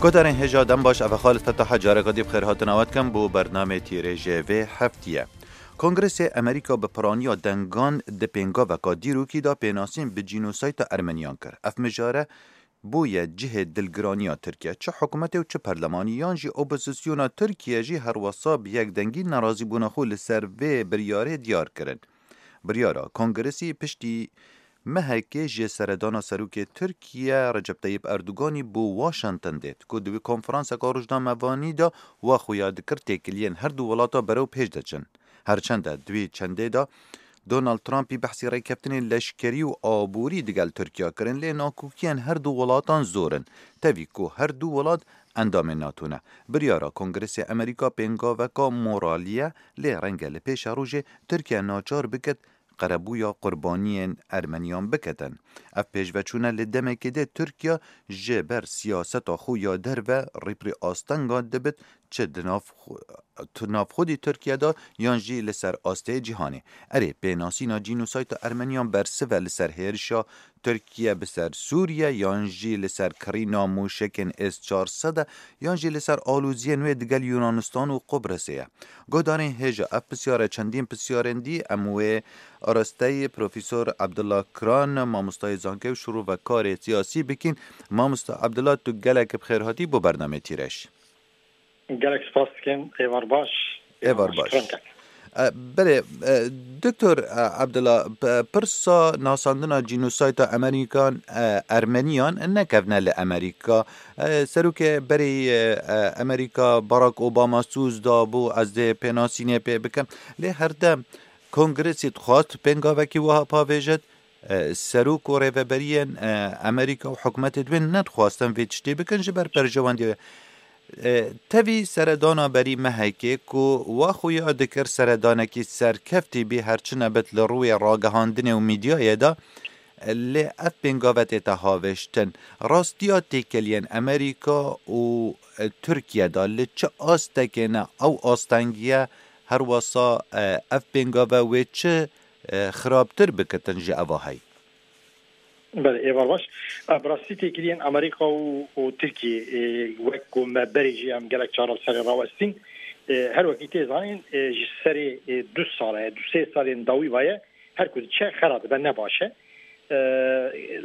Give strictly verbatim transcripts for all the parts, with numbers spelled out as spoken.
Guhdarên hêja dem baş, ev e Xalid Fetaha, careka dî bi xêr hatina we dikim bo bernamê Tîrêjê vê heftiye. Kongresê Amerîka bi piraniya dengan di pêngaveka dîrokî de pênasîn bi cînosayta Ermeniyan kir. Ev mijare bûye cihê dilgiraniya Tirkiye. Çi hikûmetê û çi perlemanî yan jî opozisyona Tirkiye jî herwesa bi yekdengî nerazîbûna xwe li ser vê biryarê diyar kirin. Biryara Kongresî piştî mehekê ji seredana serokê Tirkiye Recep Tayyip Erdoganî bo Washington dêt, ku di wî konferanseka rojnamevanî de wa xuya dikir têkiliyên her du welata berew pêş de çin. Her çende di wî çendê de Donald Trumpî behsî rêkeftinên leşkerî û aborî digel Tirkiye kirin, lê nakokiyên her du welatan zor in. Tevî ku her du welat endamên NATO ne. Biryara Kongresê Amerîka pêngaveka moralî ye, lê renge li pêşerojê Tirkiye naçar biket qerebûya qurbaniyên Ermeniyan biketin. Ev pêşveçûne li demekê de Tirkiye ji ber siyaseta xwe ya derve rîpirî astenga dibit, çi di nav xwe-, tu navxwedî Tirkiye de yan jî li ser astê cîhanê. Erê, pênasîna cînosayta Ermeniyan bersiv e li ser hêrişa Tirkiye bi ser Sûriye, yan jî li ser kirîna mûşekên S çar sed e, yan jî li ser aloziyên wê digel Yunanistan û Qubrisê ye. Guhdarên hêja, ev pisyar e, çendîn pisyarên dî, em wê arasteyî Profesor Abdullah Kran, mamostayê zankê û şirovekarê siyasî bikîn. Mamosta Abdullah, tu gelek bi xêr hatî bo bernamê Tîreş. Gelek spas dikim. Êvar baş. Êvar baş. Şikran ket. E, belê, e, Doktor, e, Abdullah, p-, pirsa nasandina cînosayta Amerîkan, e, Ermeniyan nekevne li Amerîka. E, serokê berê, e, e, Amerîka Barack Obama soz da bû, ez dê pênasînê pê bikim. Lê herdem Kongresê dixwast pêngavekî wiha pavêjit. E, serok û rêveberiyên, e, Amerîka û hikûmetê di wê nedixwastin vê tiştê bikin ji ber berjewendiyê. E, tevî seredana berî mehekê ku wa xuya dikir seredanekî serkeftî bî, her çi nebit li rûyê ragihandinê û mîdyayê de, lê ev pêngave tête havêştin. Rastiya têkeliyên Amerîka û, e, Tirkiye de li çi astekê ne, ew astengiye herwesa, e, ev pêngave wê çi e, xirabtir bikitin ji eva hey. Belê, êvar baş. E, bi rastî têkiliyên Amerîka û, û Tirkiyê, e, wek ku me berê jî em gelek cara li serê rawestîn, e, her wekî tê zanîn, e, ji serê, e, du sale, du sê salên dawî vaye, her ku diçe xera dibe ne baş e. E,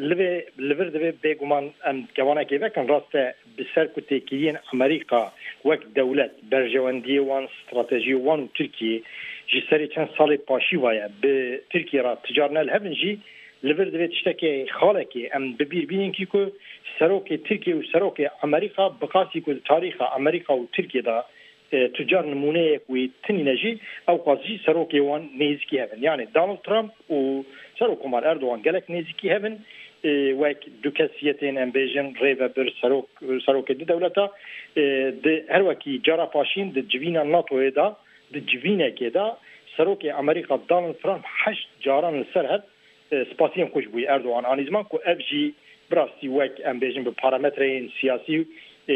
li vê, li vir divê bêguman em kevanekê vekin, rast e, bi ser ku têkiliyên Amerîka wek dewlet, berjewendiyê wan, stratejiyê wan û Tirkiyê ji serê çend salê paşî vaye bi Tirkiyê re ticar ne li hev in jî, li vir divê tiştekê xalekê em bi bîr bînin kî ku serokê Tirkiyê û serokê Amerîka bi qasî ku di tarîxa Amerîka û Tirkiyê de, e, tucar nimûneyek wê tinîne jî, ew qas jî serokê wan nêzîkî hev in. Yanî Donald Trump û Serokkomar Erdogan gelek nêzîkî hev in, e, wek du kesiyetên, em bêjin, rêvebir, serok, serokê du dewleta, e, di her wekî cara paşîn di civîna NATOyê de, di civînekê de serokê Amerîka Donald Trump heşt caran li ser hev, e, spasiyên xwe ji bo Erdogan anî ziman ku ev jî bi rastî wek, em bêjin, bi parametreyên siyasî, e,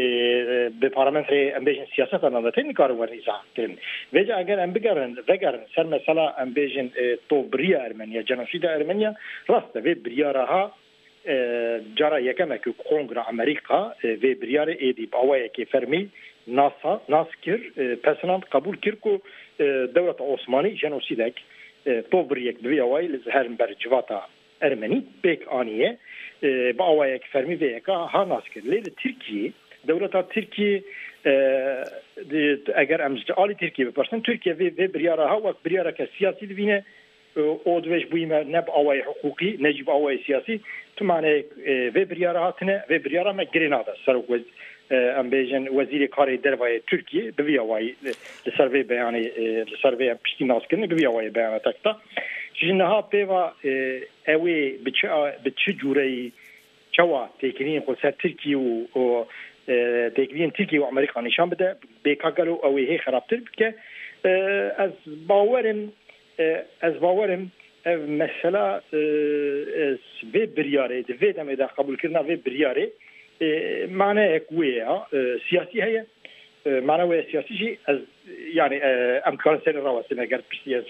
bi parametreyê, em bêjin, siyaseta navdewletê nikarin werin îzah kirin. Vêca eger em bigerin, vegerin ser mesela, em bêjin, e, tovbiriya Ermeniya, cenosîda Ermeniya, rast e vê biryara ha, e, cara yekem e ku Kongra Amerîka, e, vê biryarê êdî bi awayekê fermî nasa, nas kir, e, pesinand, qebûl kir ku, e, dewleta Osmanî jenosîdek, e, tovbiriyek bi vî awayî li her ber civata Ermenî pêk aniye, e, bi awayek fermî vê yeka ha nas kir. Lê li Tirkiyê, dewleta Tirkiyê, e, di, eger em ji alî Tirkiyê bipirsin, Tirkiye vê, vê biryara ha wek biryareke siyasî dibîne, e, û divê ji bo me ne bi awayê hiqûqî, ne jî bi awayê siyasî, tu maneyek, e, vê biryara hatine, vê biryara me girê nade. Serok wez-, e, em bêjin, Wezîrê Karê Derve yê Tirkiyê bi vî awayî, e, li ser vê beyanê, e, li ser vê em piştî naskirinê bi vî awayî beyanetek da. Ji niha pê ve, e, ew ê bi çi a-, bi çi cûreyî çawa têkiliyên xwe ser Tirkiyê û, û, e, têkiliyên Tirkiyê û Amerîka nîşan bide, bêka gelo ew ê hê xerabtir bike. E, ez bawerim, e, ez bawerim ev mesela, e, e, vê biryarê, di vê demê de qebûlkirina vê biryarê, e, maneyek wê ya, e, siyasî heye. E, mana wê siyasî jî ez, yani, e, em dikarin serê rawestine ger piştî ez.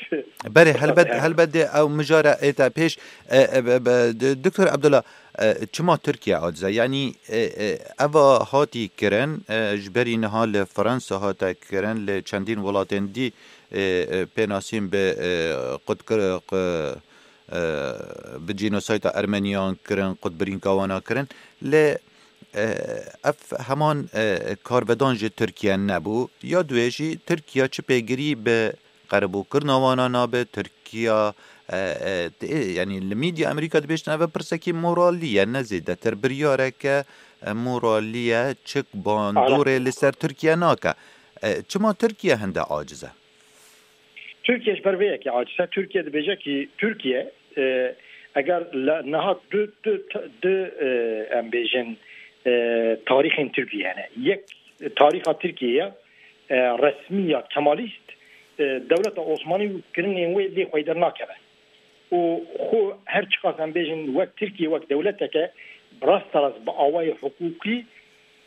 Berê, helbet, helbet dê ew mijara êta pêş. E, e, be, be, d-, Doktor Abdullah, e, çima Tirkiye aciz e? Yani, e, e, eva hatî kirin, e, ji berî niha li Fransa hate kirin, li çendîn welatên dî, e, e, pênasîn bi, e, qutkir-, qu-, e, bi cînosayta Ermeniyan kirin, qutbirînka wana kirin. Lê, e, ev heman, e, karvedan ji Tirkiye nebû. Ya duwê jî Tirkiye çi pêgirî bi qerebûkirina wana nabe? Tirkiye, e, e, tê, yani li medya Amerîka dibêjin ev pirsekî moralî ye, ne zêdetir biryareke, e, moralî ye, çik bandorê li ser Tirkiye nake. E, çima Tirkiye hinde aciz e? Tirkiye ji ber vê yekê aciz e. Tirkiye dibêje ki Tirkiye, e, eger li niha du, du, du, e, em bêjin, e, tarîxên Tirkiye hene. Yek, tarîxa Tirkiye ya, e, resmî ya kemalîst, e, dewleta Osmanî û kirinên wê lê xweyder nakeve. Û xwe her çiqas em bêjin wek Tirkiye, wek dewleteke bi rasterast bi awayê hiqûqî,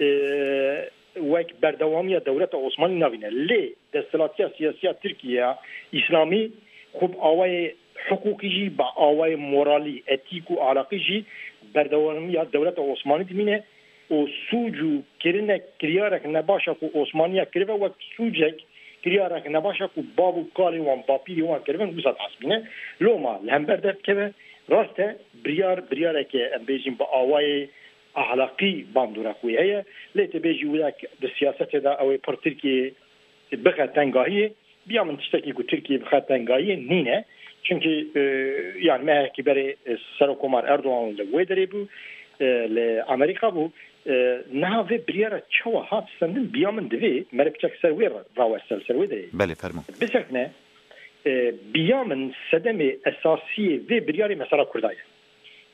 e, wek berdewamiya dewleta Osmanî navîne. Lê desthilatiya siyasiya Tirkiye ya Îslamî xwe bi awayê hiqûqî jî, bi awayê moralî, etîk û ahlaqî jî berdewamiya dewleta Osmanî dimîne û sûc û kirinek, kiryarek nebaşa ku Osmaniya kirive wek sûcek, kiryarek nebaşa ku bav û kalê wan, bapîrê wan kirivin, wisa dihesibîne. Loma li hember derdikeve, rast e, biryar, biryareke em bêjin bi awayê ahlaqî bandorek wê heye, lê tu bêjî wek di siyasetê de ew ê pir Tirkiyeyê bixe tengahiyê, biya min tiştekî ku Tirkiye bixe tengahiyê nîne. Çimkî, e, yani mehekî berê, e, Serokomar Erdogan li wê derê bû, e, li Amerîka bû. E, niha vê biryara çawa hat stendin, biya min divê mere piçek ser wê ra-, raweste, li ser wê derê. Belê, fermo. Bisekine, e, biya min sedemê esasiyê vê biryarê mesela Kurda ye.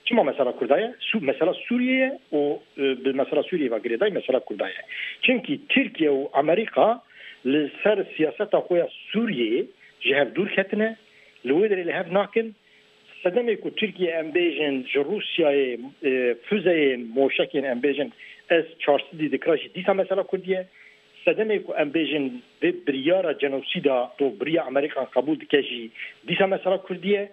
Çima mesela Kurda ye? Su-, mesela Sûriye ye û, e, bi mesela Sûriye ve girêdayî mesela Kurda ye. Çimkî Tirkiye û Amerîka li ser siyaseta xwe ya Sûriyeyê ji hev dûr ketine, li wê derê li hev nakin. Sedemê ku Tirkiye, em bêjin, ji Rûsyayê, e, fuzeyên, moşekên, em bêjin, S çar sed dikira jî dîsa mesela Kurdî ye. Sedemê ku em bêjin vê biryara cenosîda, tovbiriya Amerîkan qebûl dike jî dîsa mesela Kurdî ye.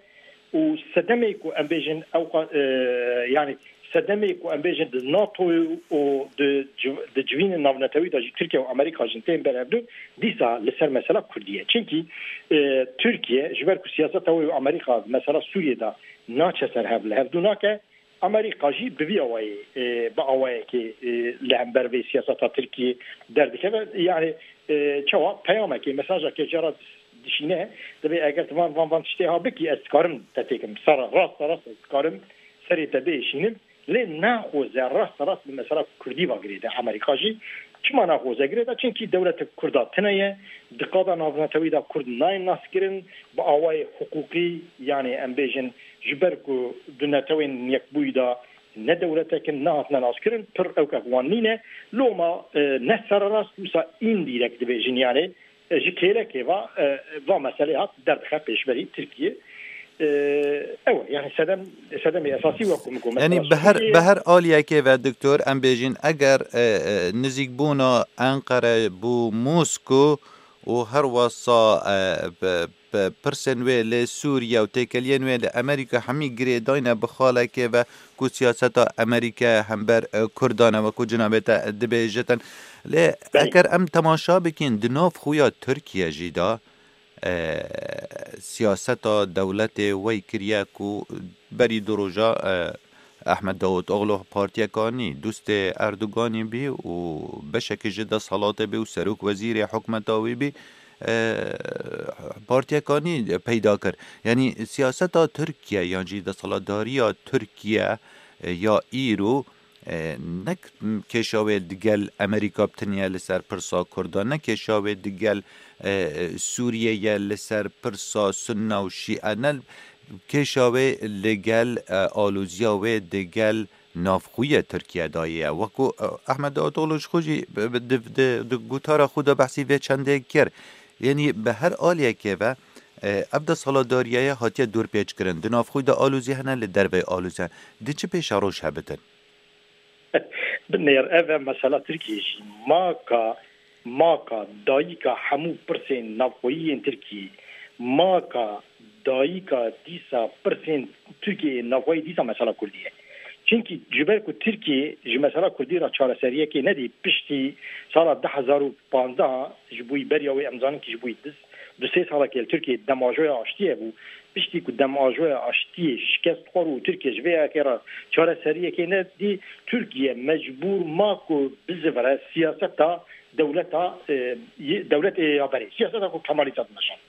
Û sedemê ku em bêjin ew qa-, e, yani sedemê ku em bêjin di NATO û di civ-, di civînên navnetewî de jî Tirkiye û Amerîka jî tên ber hevdu, dîsa li ser mesela Kurdî ye. Çimkî, e, Tirkiye ji ber ku siyaseta wê û Amerîka mesela Sûriyê de naçe ser hev, li hevdu nake, Amerîka jî bi vî awayê, e, bi awayekê, e, li hember vê siyaseta Tirkiyê derdikeve. Yani, e, çawa peyamekê, mesajekê jê re dişîne, divê eger tu van, van, van tiştê ha bikî, ez dikarim te têkim. Sara, rasta rast ez dikarim serê te biêşînim. Lê naxoze rasta rast bi mesela Kurdî ve girêde Amerîka jî. Çima naxoze girêde? Çimkî dewletek Kurda tune ye, di qada navnetewî de Kurd nayên naskirin, bi awayê hiqûqî, yani em bêjin, ji ber ku di Netewên Yekbûyî de ne dewletek in, nehatine naskirin, pir ewkek wan nîne. Loma, e, ne sererast, wisa îndîrek dibêjin, yani, e, ji kêlekê ve, e, va meselê hat derdixe pêşberî Tirkiye. E, ew e, yani sedem, sedemê esasî wek ku min got, yani mesela bi her, Sûriye, bi her aliyekê ve, doktor, em bêjin, eger, e, e, nizîkbûna Enqere bo Mosko û her wesa, e, bi, bi pirsên wê lê Sûriye û têkeliyên wê li Amerîka hemî girêdayne bi xalekê ve ku siyaseta Amerîkaya hember, e, Kurdan e, wekû cinabê te dibêjitin. Lê Belê. Eger em temaşa bikin, di nav xuya Tirkiye jî de, e, siyaseta dewletê wey kiriye ku berî du roja, e, Ahmet Davutoglu partiyeka nî, dostê Erdoganî bî û beşekî ji desthilatê bî û serok wezîrê hikûmeta wî bî, e, partiyeka nî peyda kir. Yanî siyaseta Tirkiye yan jî desthilatdariya Tirkiye, e, ya îro, e, nek kêşa wê digel Amerîka bi tiniye li ser pirsa Kurda, ne kêşa wê digel, e, Sûriye ye li ser pirsa Sunna û Şîe, ne kêşa wê li gel, e, aloziya wê digel navxwe yê Tirkiye dayê ye. Wekû, e, Ahmet Davutoglu ji xwe jî bi, bi, di, di, di gotara xwe de behsî vê çendê kir. Yanî bi her aliyekê ve, e, ev desthilatdariye hatiye dorpêçkirin. Di navxwe de alozî hene, li derveyî alozî hene. Di çi pêşeroj hebitin? Binêr, ev e mesela Tirkiye jî. Ma ka Maka, dayika hemû pirsên navxweyî yên Tirkiyê, maka, dayika dîsa pirsên Tirkiyeyê navxweyî dîsa mesela Kurdî ye. Çimkî ji ber ku Tirkiye ji mesela Kurdî re çareseriyekê nedî, piştî sala du hezar û panzdeh ji bo yî beriya wê em zanin kî ji bo yî du, du sê salekê li Tirkiyê demajoya aştiyê bû. Piştî ku demajoya aştiyê şikest xwar û Tirkiye ji vê yekê re çareseriyekê nedî, Tirkiye mecbûr ma ku bizivire siyaseta dewleta, e, yê, dewletê ya berê, siyaseta ku Kemalîst dimeşand,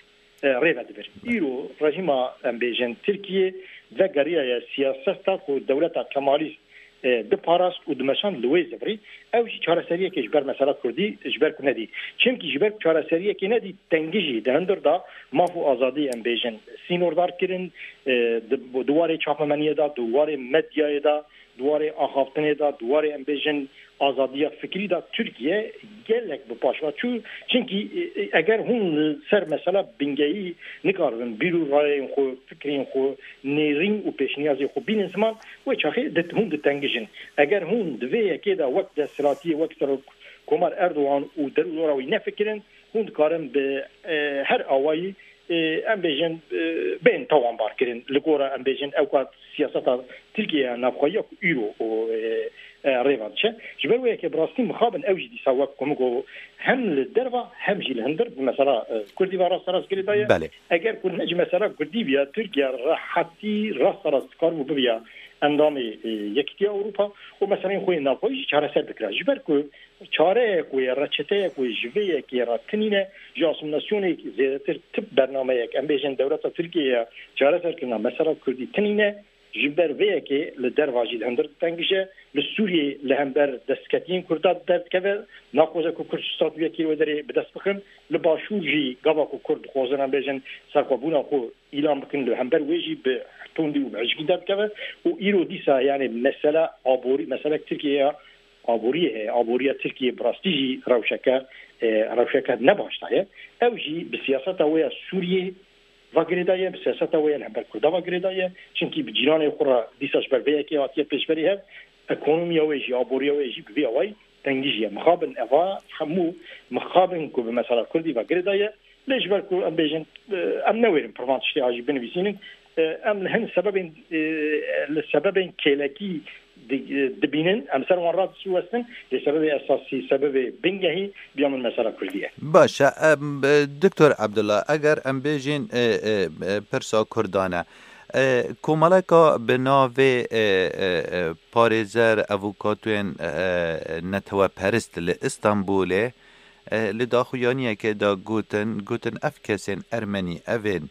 e, rê ve dibir. Îro rejîma, em bêjin, Tirkiye vegeriyaye siyaseta ku dewleta Kemalîst, e, diparast û dimeşand li wê zivirî. Ew jî çareseriyekê ji ber mesela Kurdî, ji ber ku nedî. Çimkî ji ber ku çareseriyekê nedî, tengî jî di hundir da maf û azadî, em bêjin, sînordar kirin, e, di, di warê çapemeniyê de, di warê medyayê de, di warê axaftinê de, di warê, em bêjin, azadiya fikrî de Tirkiye gelek bi paş ve çû. Çimkî, e, e, eger hûn li ser mesela bingehî nikaribin bîr û rayên xwe, fikrên xwe, nêrîn û pêşniyazên xwe bînin ziman, wê çaxê di, hûn ditengijin. Eger hûn di vê yekê de wek desthilatiyê, wek Serok Komar Erdogan û derûdora wî nefikirin, hûn dikarin bi, e, her awayî, e, em bêjin, e, bên tawanbar kirin. Li gora, em bêjin, ew ka siyaseta Tirkiye ya navxweyiya ku îro û, e, e, rê ve diçe. Ji ber wê yekê bi rastî mixabin ew jî dîsa wek ku min got, hem li derva hem jî li hundir bi mesela, e, Kurdî ve rasterast girêdaye. Belê. Eger ku ne ji mesela Kurdî biya, Tirkiye rehetî rasterast dikaribû bibiya endamê, e, Yekîtiya Ewropa û meseleyên xwe yên navxweyî jî çareser bikira. Ji ber ku çareyek wê, reçeteyek wê ji vê yekê re tinîne, ji asîmîlasyonê zêdetir tip bernameyek, em bêjin, dewleta Tirkiyeyê ya çareserkirina mesela Kurdî tinîne, ji ber vê yekê li derva jî li hundir ditengije, li Sûriyê li hember destketiyên Kurda derdikeve, naxwaze ku Kurd statûyekê wê derê bi dest bixin, li Başûr jî gava ku Kurd dixwazin, em bêjin, serxwebûna xwe îlan bikin, li hember wê jî bi tundî û bi hişkî derdikeve û îro dîsa, yanî, mesela aborî, meselek Tirkiye ya aboriyê heye. Aboriya Tirkiye bi rastî jî rewşeke, e, rewşeke ne baş de ye. Ew jî bi siyaseta wê ya Sûriyê ve girêdaye, bi siyaseta wê ya li hember Kurda ve girêdaye. Çimkî bi cîranê xwe re dîsa ji ber vê yekê hatiye pêşberî hev, ekonomiya wê jî, aboriya wê jî bi vî awayî tengî jî ye. Mixabin eva hemû mixabin ku bi mesela Kurdî ve girêdaye, lê ji ber ku, em bêjin, e, em newêrin pirvan tiştê a jî binivîsînin, e, em li hin sebebên, e, li sebebên kêlekî di-, e, dibînin, em ser wan radiwestin, lê sebebê esasî, sebebê bingehî biya min mesela Kurdî ye. Baş e, em, e, Doktor Abdullah, eger em bêjin, e, e, e, pirsa Kurdan e, e, komeleka bi navê, e, e, e, parêzer, avûkatên, e, e, neteweperist li Îstanbulê, e, li daxuyaniyekê de gotin, gotin ev kesên Ermenî, evên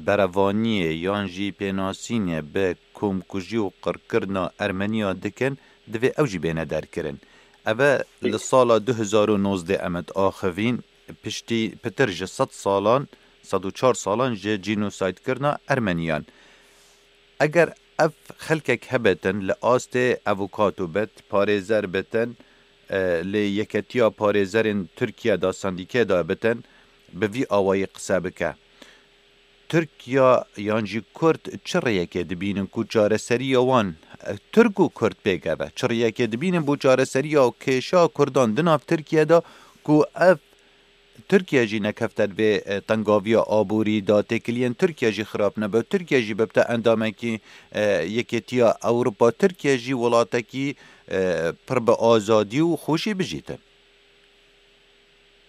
berevaniyê yan jî pênasînê bi komkujî û qirkirina Ermeniya dikin, divê ew jî bêne derkirin. Ev e li sala du hezar û nozdeh em diaxivîn, piştî pitir ji sed salan, sed û çar salan ji cînosaydkirina Ermeniyan. Eger ev xelkek hebitin, li astê avûkato bit, parêzer bitin, e, li Yeketiya Parêzerên Tirkiye de, sendîkê de bitin, bi vî awayî qise bike. Tirkiya yan jî Kurd çi rêyekê dibînin ku çareseriya wan, e, Tirk û Kurd pêk eve? Çi rêyekê dibînin bo çareseriya kêşa Kurdan di nav Tirkiye de ku ev Tirkiye jî nekefte di vê, e, tengaviya aborî de, têkiliyên Tirkiye jî xirab nebe, Tirkiye jî bibte endamekî, e, Yekêtiya Ewropa, Tirkiye jî welatekî, e, pir bi azadî û xweşî bijîte?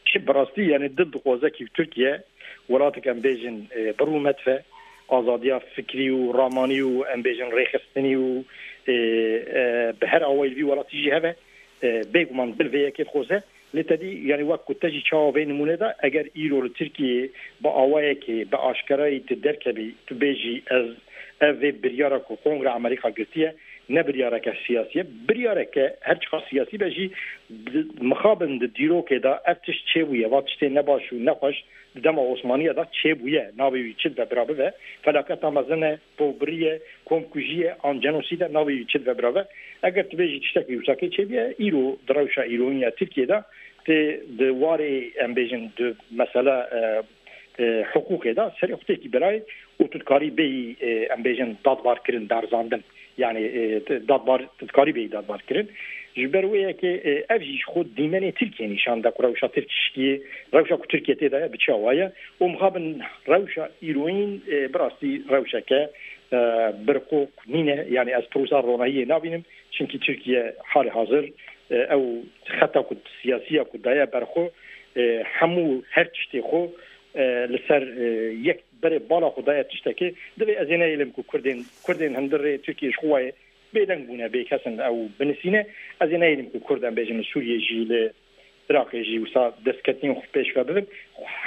Çi bi rastî, yanî, dil dixwaze kî Tirkiye welatek, em bêjin, e, bi rûmet ve, azadiya fikrî û ramanî û, em bêjin, rêxistinî û, e, e, bi her awayî li vî welatî jî heve, e, bêguman dil vê yekê dixwaze. Lê te dî, yanî, wek ku te jî çawa vê nimûne de, eger îro li Tirkiyeyê bi awayekê, bi aşkerayî tu derkevî, tu bêjî, ez, ev vê biryara ku Kongre Amerîka girtiye, ne biryareke siyasî ye. Biryareke her çiqas siyasî be jî, di, mixabin di dîrokê de ev tişt çêbûye, va tiştê nebaş û nexweş di dema Osmaniye de çêbûye. Navê wî çi dibe bira bibe, felaketa mezin e, tovbirî ye, komkujî ye, an cenosîd e, navê wî çi dibe bira bibe. Eger tu bêjî tiştekî wisa kê çêbûye, îro di rewşa îroyîn ya Tirkiyê de, tê di warê, em bêjin, di mesela, e, e, hiqûqê de serê xwe têkî birayê û tu dikarî bêyî, e, em bêjin, dadbarkirin, berzandin. Yanî, e, tu dadbar, tu dikarî bêyî dadbarkirin. Ji ber wê yekê, e, ev jî ji xwe dîmenê Tirkiye nîşan da ku rewşa Tirkiyê, rewşa ku Tirkiye tê de ye, bi çi awa ye. Û mixabin rewşa îroyîn, e, bi rastî rewşeke, e, birqok nîne. Yani ez pir wisa ronahiyê nabînim. Çimkî Tirkiye halê hazir, e, ew xeta ku siyasiya ku daye ber xwe, e, hemû her tiştê xwe, e, li ser, e, yek berê bala xwe daye tiştekê. Divê ez ê neyêlim ku Kurdên, Kurdên hundir rê Tirkiye ji xwe wayê bêdeng bûne, bê kesin ew binisîne. Ez ê neyêlim ku Kurd, em bêjin, li Sûriyê jî, li Iraqê jî wisa destketinên xwe pêş ve bibin.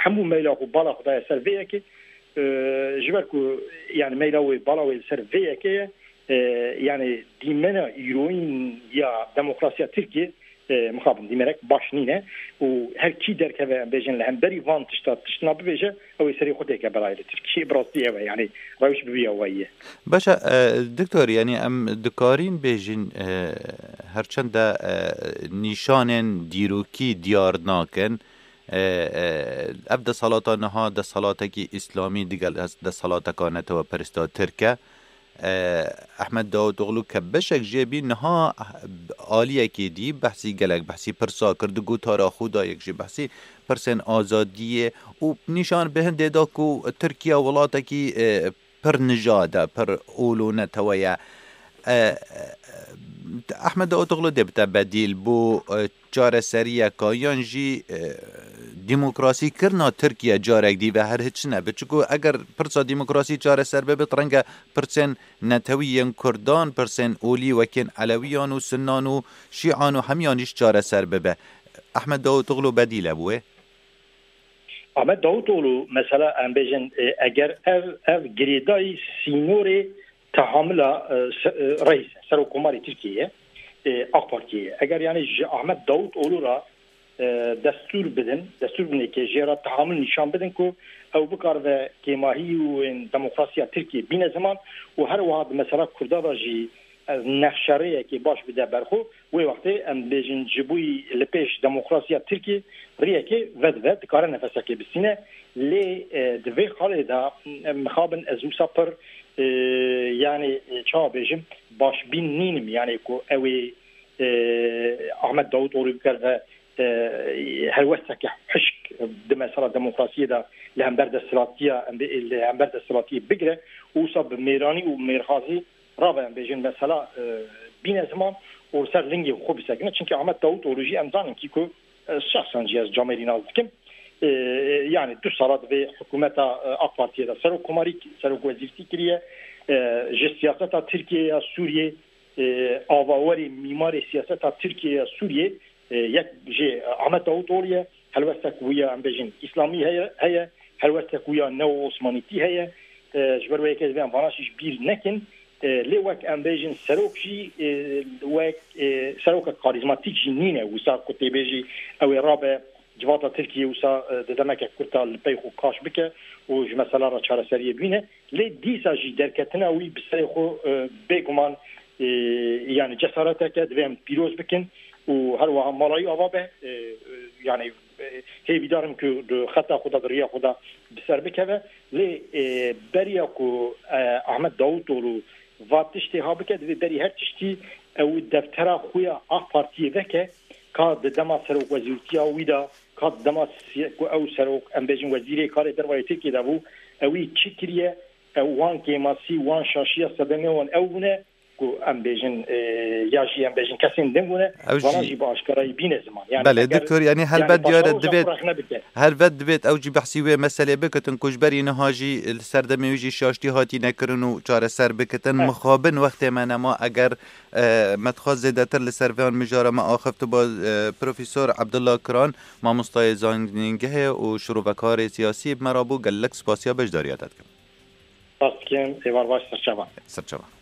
Hemû meyla xwe, bala xwe daye ser vê yekê. E, ji ber ku, yani, meyla wê, bala wê li ser vê yekê ye. E, yani, dîmena îroyîn ya demokrasiya Tirkiye, e, mixabin dîmenek baş nîne û her kî derkeve, em bêjin, li hemberî van tişta tiştina bibêje, ew ê serê xwe têke belayê li Tirkiyê. Bi rastî ew e, yani, rewş bi vî awayî ye. Baş e, e, doktor, yani, em dikarîn bêjin, e, herçend de, e, nîşanên dîrokî diyar nakin, e, e, ev desthilata niha desthalatekî îslamî digel des-, desthilateka neteweperista Tirk e. E, Ehmed Davutoglu ke beşek jê bî, niha aliyekê dî behsî gelek, behsî pirsa kir, di gotara xwe de yek jî behsî pirsên azadiyê û nîşan bi hindê da ku Tirkiye welatekî, e, pir nijad e, pir olo netewe ye. E, e, Ehmed Davutoglu dê bite bedîl bo, e, çareseriyeka yan jî, e, demokrasî kirina Tirkiye carek dî ve her hiç nebe. Çiku eger pirsa demokrasî çareser bibe, renge pirsên netewî yên Kurdan, pirsên olî wekên Elewiyan û Sunnan û Şîan û hemiyan jî çareser bibe. Ehmed Davutoglu bedîl e bo wê? Ahmet Davutoğlu, mesela, em bêjin, e, eger ev, ev girêdayî sînorê tehamila, e, se-, e, reîs, serokkomarê Tirkiyeyê, e, AK Partiyê ye. Eger, yani, ji Ahmet Davutoğlu re, e, destûr bidin, destûr bidin ke jê re tehamil nîşan bidin ku ew bikaribe kêmahî û ên demokrasiya Tirkiyê bîne ziman û her wiha di mesela Kurda de jî, e, nexşerêyekê baş bide ber xwe, wê wextê em bêjin ji bo li pêş demokrasiya Tirkiyê riyekê vedive, dikare nefesekê bistîne. Lê, e, di vê xalê de, em mixabin ez wisa pir, e, yani, e, çawa bêjim, başbîn nînim, yani ku ew ê, e, Ahmet Davutoğlu bikaribe, e, helwesteke hişk di mesela demokrasiyê de li hember desthilatiya, em bê-, li hember desthilatiya bigire û wisa bi mêranî û mêrxasî rabe, em bêjin, mesela, e, bîne ziman û li ser lingê xwe bisekine. Çimkî Ahmet Davutoğlu jî em zanin kî ku, e, şexsen jî ez camêrî nas dikim. E, yani du sala di vê hikûmeta, e, AK Partiyê de serokkomarî, serokwezîrtî kiriye. E, ji siyaseta Tirkiyê ya Sûriyê, e, avawerê, mîmarê siyaseta Tirkiyê ya Sûriyê, e, yek jê Ahmet Davutoğlu ye. Helwestek wî ya, em bêjin, îslamî heye, heye. Helwestek wî ya neo-Osmanîtî heye. E, ji ber wê yekê divê em vana jî ji bîr nekin. E, lê wek, em bêjin, serok jî, e, wek, e, serokek karîzmatîk jî nîne. Wisa ku tê bêjî ew ê rabe civata Tirkiyê, wisa, e, di demeke kurta li pey xwe kaş bike û ji mesela re çareseriyê bîne. Lê dîsa jî derketina wî bi serê xwe, e, bêguman, e, yani cesareteke divê em pîroz bikin û her wiha mala wî ava be. E, e, yani, e, hêvîdar im ku di xeta xwe de, di riya xwe de bi ser bikeve. Lê, e, beriya ku, e, Ahmet Davutoğlu va tiştê ha bike, divê berî her tiştî ew deftera xwe ya AK Partiyê veke, ka di dema serokwezîrtiya wî de, ka di dema siya-, ku ew serok, em bêjin, wezîrê karê derve yê Tirkiyê de bû, ewî çi kiriye, ew wan kêmasî, wan şaşiya sedemê wan ew bûne, ku em bêjin, e, ya jî em bêjin kesên din bûne, Ew vana jî jî bi aşkarayî bîne ziman. Yani Belê, eger, doktor, yani yani helbet diyar e, paşa wisa divêt, xwe rexne bike. Helbet divêt ew jî behsî wê meselê bikitin ku ji berî niha jî li serdemê wî jî şaştî hatî nekirin û çareser bikitin. Eh. Mixabin wextê me nema eger, e, me dixwest zêdetir li ser vê mijara me axiftiba, e, Profesor Abdullah Kiran, mamostayê zanîngehê û şirovekarê siyasî bi me re bû, gelek spasiya beşdariya te dikim. Spas dikim, êvar baş, serçava. Serçava.